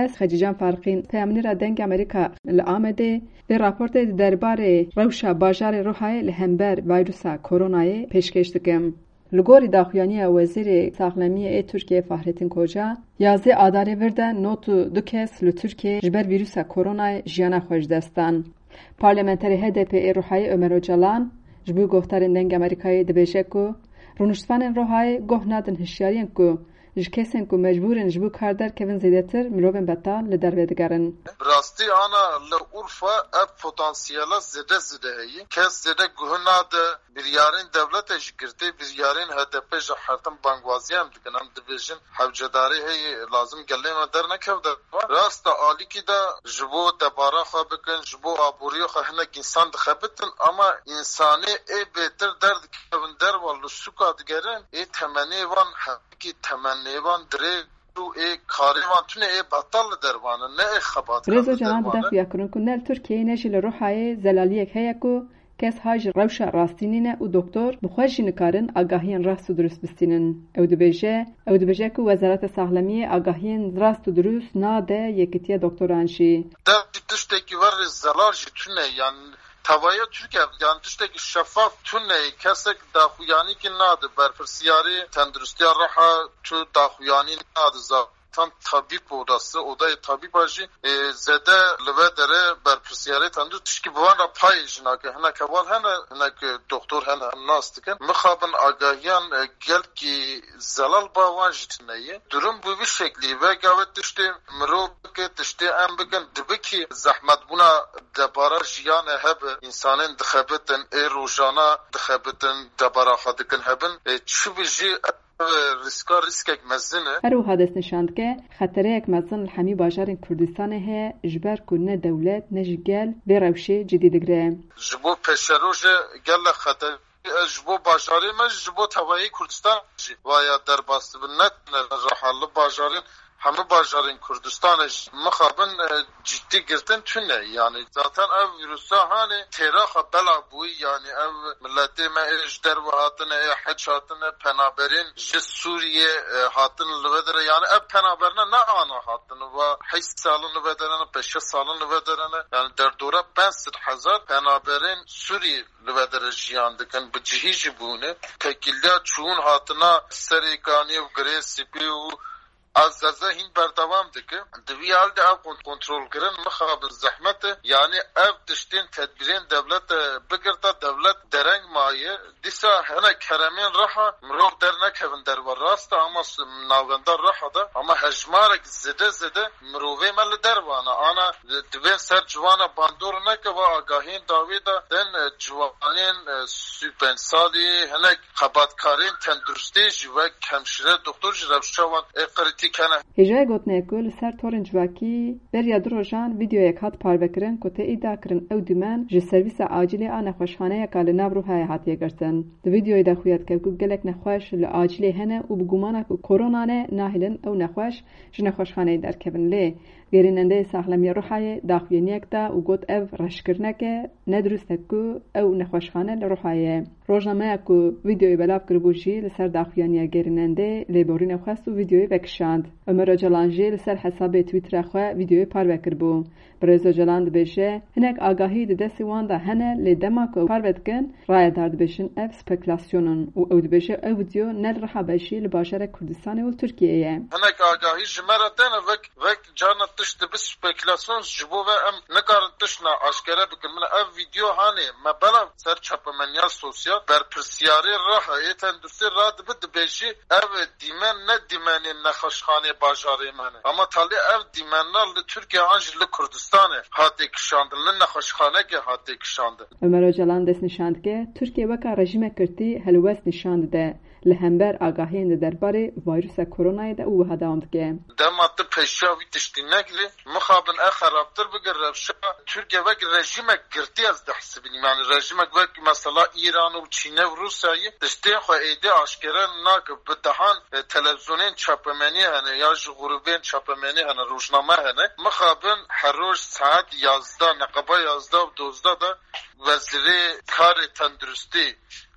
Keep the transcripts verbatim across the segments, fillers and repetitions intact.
Ez Xecîcan Farqîn, peyamnêra Dengê Amerîka li Amedê, vê raportê di derbarê rewşa bajarê Rihayê li hember vayrusa koronayê pêşkêş dikim. Li gorî daxuyaniya Wezîrê Saxlemiyê ê Tirkiyê Fahrettin Koca, yazdê Adarê vir de nod û du kes li Tirkiyê ji ber vîrusa koronayê jiyana xwe ji dest dan. Parlamenterê H D P ê Rihayê Ömer Ocalan ji bo guhdarên Dengê Amerîkayê dibêje ku rûniştvanên Rihayê guh nadin hişyariyên ku ji kesên ku mecbûr in ji bo kar derkevin zêdetir mirovên betal li derve digerin. Bi rastî ana li Urfa ev potansiyela zêde zêde heye. Kes zêde guh nade, biryarên dewletê jî girtê, biryarên H D P jî her tim bangwaziya em dikin. Em dibêjin hewcedarî heye, lazim gelê me dernekevde. Rast e, alîkî de ji bo debara xwe bikin, ji bo aboriya xwe hinek însan dixebitin, ama însanê ê bêtir derdikevin derva li sûka digerin, ê temenê wan hevkî temenê wan dirêj û ê karê wan tune ê betal li dervan in, ne ê xebatkan Birêz li Ocalan dervan dide in. Xuyakirin ku ne li Tirkiyeyê ne jî li Rihayê zelaliyek heye ku kes hay ji rewşa rastî nîne û doktor bi xwe jî nikarin agahiyên rast û dirust bistînin. Ew dibêje, ew dibêje ku Wezareta Saxlemiyê agahiyên rast û dirust nade Yekîtiya Doktoran jî. Dev tiştekî werê zelal jî tune, yan tevaya Tirkiye, yan tiştekî şefaf tune, kesek daxuyanîkî nade, berpirsiyarê tenduristiya Riha tu daxuyanî nade zaten. Tam tabîb odası, odayê tabîba jî, e, zêde li ve dere berpirsiyarê tendû tişkî bi wan re payê jî nake. Hinek heval hene, hinek, e, doktor hene, em nas dikin. Mixabin agahiyan, e, gelkî zelal ba wan jî tune ye. Durum bi vî şeklî ve gave tiştê mirov bike, tiştê em bikin, dibikî zehmetbûna debara jiyanê hebe, însanên dixebitin, ê rojana dixebitin, debara xwe dikin hebin. E, çi bi jî Ev rîska rîskek mezin e. Her wiha dest nîşan dike, xetereyek mezin li hemî bajarên Kurdistanê heye, ji ber ku ne dewlet ne jî gel vê rewşê cidî digire. Ji bo pêşerojê gelek xeter e, ji bo bajarê me jî, ji bo tevayê Kurdistan jî vaya derbas dibin, ne tenê li Riha, li bajarên hemû bajarên Kurdistanê jî mixabin, e, cidî girtin tune. Yanî zaten ev vîrusa hanê têra xwe bela bûyî, yanî ev miletê me ê ji derve hatine, ê heç hatine, penaberên ji Sûriyê, e, hatin li vê derê. Yanî ev penaberine ne ana hatin, va heşt salin li vê derê ne, pênc salin li vê derê ne. Yanî derdora pênc sed hezar penaberên Sûriyê li vê derê jiyan dikin, bi cihî jî bûne. Tekîliya çûn hatina Serêkanî û Girê Spî û Ezeze hîn berdewam dike. Di vî hal de ev kont-, kontrolkirin mixabin zehmet e. Yanî ev tiştên tedbîrên dewlet e bigirta dewlet dereng maye. Dîsa hinek heremên Riha mirov dernekevin derve rast e, ama s-, navenda Riha de, ama hejmarek zêde zêde mirovê me li derve ne. Ana dibên ser civana bandor neke ve agahiyên dawî de tên, e, ciwanên, e, sî û pênc salî hinek Xebatkarên tenduristê jî wek hemşire, doktor jî rewşa wan ê kritîk hene. Hêjayê gotinê ye ku li ser torên civakî beriya du rojan vîdeoyek hat parvekirin ku tê îdia kirin ew dîmen ji servîsa acîlê a nexweşxaneyeka li nav Rûhayê hatiye girtin. Di vîdeoyê de xuya dike ku gelek nexweş li acîlê hene û bi gumana ku korona ne nahêlin ew nexweş ji nexweşxaneyê derkevin. Lê Gerînendeyê Saxlemiya Rûhayê daxuyaniyek da û got ev reşkirinek e, ne dirust e ku ew nexweşxane li Rûhayê ye. Rojnameya ku vîdeoyê belav kiribû jî li ser daxuyaniya gerînendeyê lêborînê xwest û vîdeoyê vekişand. Omer Ocalan jî li ser hesabê Twittera xwe vîdeoyê parve kiribû. Birêz Ocalan dibêje, hinek agahî di destê wan de hene, lê dema ku ew parve dikin, rayedar dibêjin ev spekulasyon in û ew dibêje ew vîdeo ne li Riha be jî li bajarek Kurdistanê û li Tirkiyeyê ye. Hinek agahî ji me re têne vek, vek carna tişt dibe spekulasyon, ji bo ve em nikarin tiştna aşkere bikin. Min ev vîdeo hanê me belav ser çapemeniya sosyal, berpirsiyarê Riha ê tenduristê radibe dibêjî ev dîmen ne dîmenên nexweşxanê bajarê me ne. Ama talê ev dîmena li Tirkiye an jî li Kurdistanê hatê kişandin, li nexweşxanekê hatê kişandin. Omer Ocalan destnîşan dike, Tirkiye weka rejîmek girtî helwest nîşan dide. Li hember agahiyên di derbarê vayrusa koronayê de û wiha dewam dike. Dema tu pêşiya wî tiştî negirî, mixabin e xerabtir bike rewşa Tirkiye wek rejîmek girtî ez dihesibînim. Yanî rejîmek wek mesela Îran û Çînê û Rûsyayê tiştên xwe êdî aşkere nake. Bi dehan, e, televîzyonên çapemenî hene ya ji grûbên çapemenî hene, rojname hene. Mixabin her roj saet yazdeh, neqeba yazdeh û dozdeh de Wezîrê Karê Tenduristî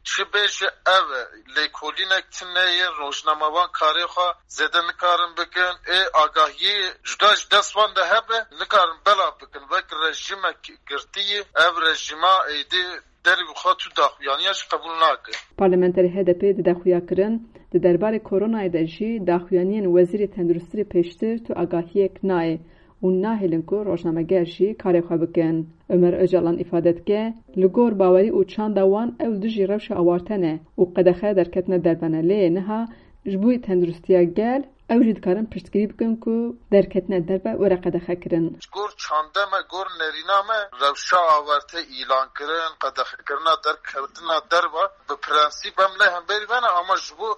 Çi bêje ev e, lêkolînek tune ye, rojnamevan karê xwe zêde nikarin bikin. Ê agahiyê cuda ji dest wan de hebe, nikarin belav bikin. Wek rejîmek girtî ye, ev rejîma êdî derî bi xwe tu daxuyaniya jî qebûl nake. Parlamenterê H D P di daxuya kirin, di derbarê koronayê de jî daxuyaniyên Wezîrê Tenduristî pêştir tu agahiyek nayê û nahêlin ku rojnameger jî karê xwe bikin. Ömer Ocalan îfade dike, li gor bawerî û çanda wan ew dijî rewşa awarte ne û qedexe derketine derve ne, lê niha ji bo tenduristiya gel ew jî dikarin piştgirî bikin ku derketine derve were qedexekirin. Ji gor çanda me, gor nerîna me, rewşa awarte îlan kirin, qedexekirina derketina derve bi prensîp em ne hemberî me ne, ama ji bo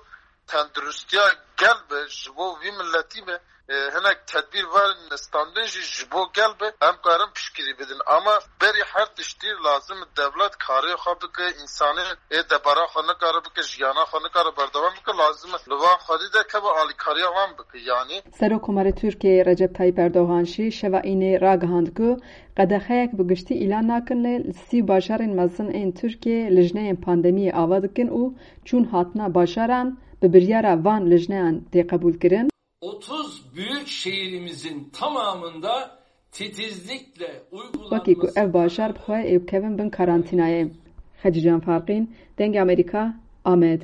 tenduristiya gel be, ji bo vî miletî be, e, hinek tedbîr verin standin jî ji bo gel be, em karin piştgirî bidin. Ama berî her tiştî lazim dewlet karê xwe bike, însanê ê debara xwe nikare bike, jiyana xwe nikare berdewam bike, lazim li van xwedî de keve alîkariya wan bike. Yanî Serokkomarê Tirkiyeyê Recep Tayyip Erdogan jî şeva înê ragihand ku qedexeyek bi giştî îlan nakin, lê li sî bajarên mezin ên Tirkiyeyê lijneyên pandemiyê ava dikin û çûn hatina bajaran bi biryara van lijneyan tê qebûlkirin. Otuz büyük şehrimizin tamamında titizlikle uygulanması Wekî ku ev bajar bi xwe ê bikevin bin karantînayê. Xecîcan Farqîn, Dengê Amerîka, Amed.